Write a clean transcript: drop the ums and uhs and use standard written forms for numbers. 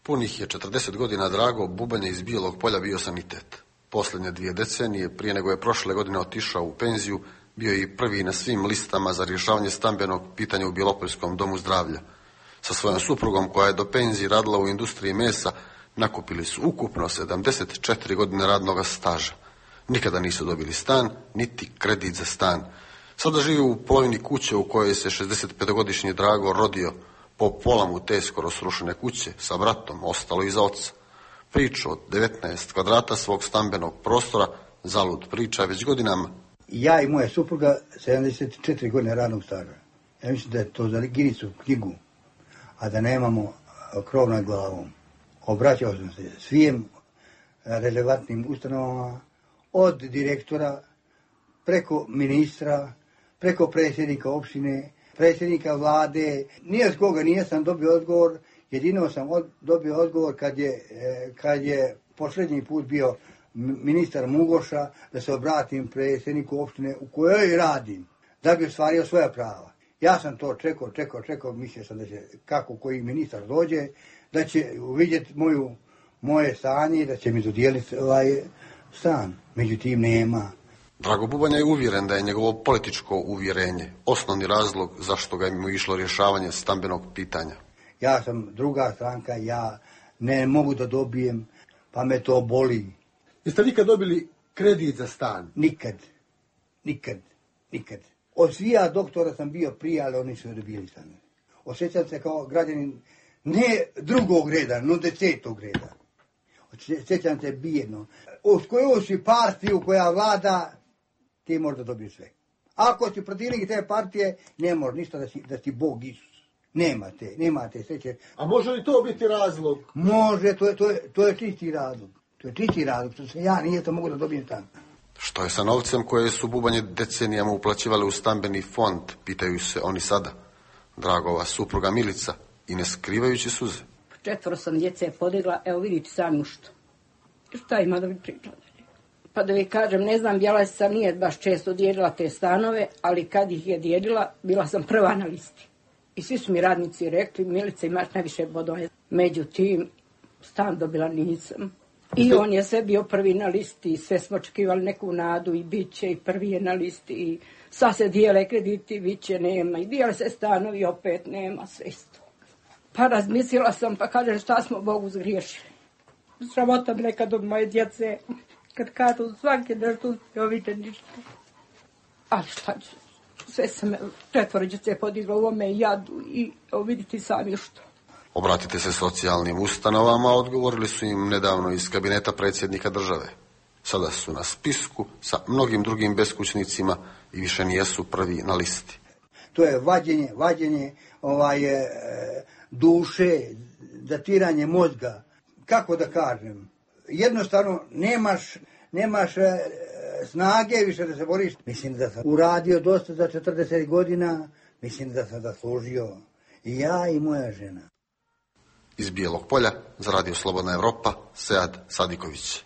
Punih je 40 godina Drago Bubanj je iz Bijelog Polja bio sanitet. Posljednje 2 decenije, prije nego je prošle godine otišao u penziju, bio je i prvi na svim listama za rješavanje stambenog pitanja u Bjelopoljskom domu zdravlja. Sa svojom suprugom, koja je do penzije radila u industriji mesa, nakupili su ukupno 74 godine radnog staža. Nikada nisu dobili stan, niti kredit za stan. Sada živi u polovini kuće u kojoj se 65-godišnji Drago rodio. Po pola mu te skoro srušene kuće sa bratom ostalo iza oca. Priču od 19 kvadrata svog stambenog prostora zalud priča već godinama. Ja i moja supruga 74 godine radnog staža. Ja mislim da je to za Ginicu knjigu, a da nemamo krov nad glavom. Obraćao sam se svim relevantnim ustanovama, od direktora, preko ministra, preko predsjednika opštine, predsjednika vlade. Nije od koga nisam dobio odgovor. Jedino sam dobio odgovor kad je posljednji put bio ministar Mugoša, da se obratim predsjedniku opštine u kojoj radim, da bi ostvario svoja prava. Ja sam to čekao, mislio sam da će, kako koji ministar dođe, da će vidjeti moje stanje i da će mi dodijeliti stan. Međutim, nema. Drago Bubanj je uvjeren da je njegovo političko uvjerenje osnovni razlog zašto ga je mu išlo rješavanje stambenog pitanja. Ja sam druga stranka, ja ne mogu da dobijem, pa me to boli. Jeste vi kad dobili kredit za stan? Nikad. Od svija doktora sam bio prije, ali oni su dobili stan. Osjećam se kao građanin ne drugog reda, no 10. reda. Osjećam se bijedno. U kojoj si partiju koja vlada, ti možda dobiješ sve. Ako si protivnik te partije, ne može ništa da ti Bog Isus. Nemate sreće. A može li to biti razlog? Može, to je čisti razlog. To je čisti razlog, što se ja nije to mogu da dobijem stan. Što je sa novcem koje su Bubanje decenijama uplaćivali u stambeni fond, pitaju se oni sada. Dragova supruga Milica i ne skrivajući suze. 4 sam djece podigla, evo vidite sami što. Šta ima da bi pričala? Pa da vi kažem, ne znam, Bjela sam nije baš često dijelila te stanove, ali kad ih je dijelila, bila sam prva na listi. I svi su mi radnici rekli, Milica, imaš najviše bodova. Međutim, stan dobila nisam. I on je sve bio prvi na listi i sve smo očekivali neku nadu i bit će i prvi je na listi i sad se dijele krediti, bit će, nema i dijele se stanovi, opet nema, sve isto. Pa razmislila sam, pa kažem šta smo Bogu zgriješili. Sramota me nekad od moje djece, kad kažu svake nešto uspio, vidite ništa. Ali šta ću, sve sam 4 djece podigla u ovome jadu i vidite sami što. Obratite se socijalnim ustanovama, odgovorili su im nedavno iz kabineta predsjednika države. Sada su na spisku sa mnogim drugim beskućnicima i više nijesu prvi na listi. To je vađenje duše, datiranje mozga. Kako da kažem? Jednostavno nemaš snage više da se boriš. Mislim da sam uradio dosta za 40 godina, mislim da sam zaslužio i ja i moja žena. Iz Bijelog Polja za Radio Slobodna Evropa, Sead Sadiković.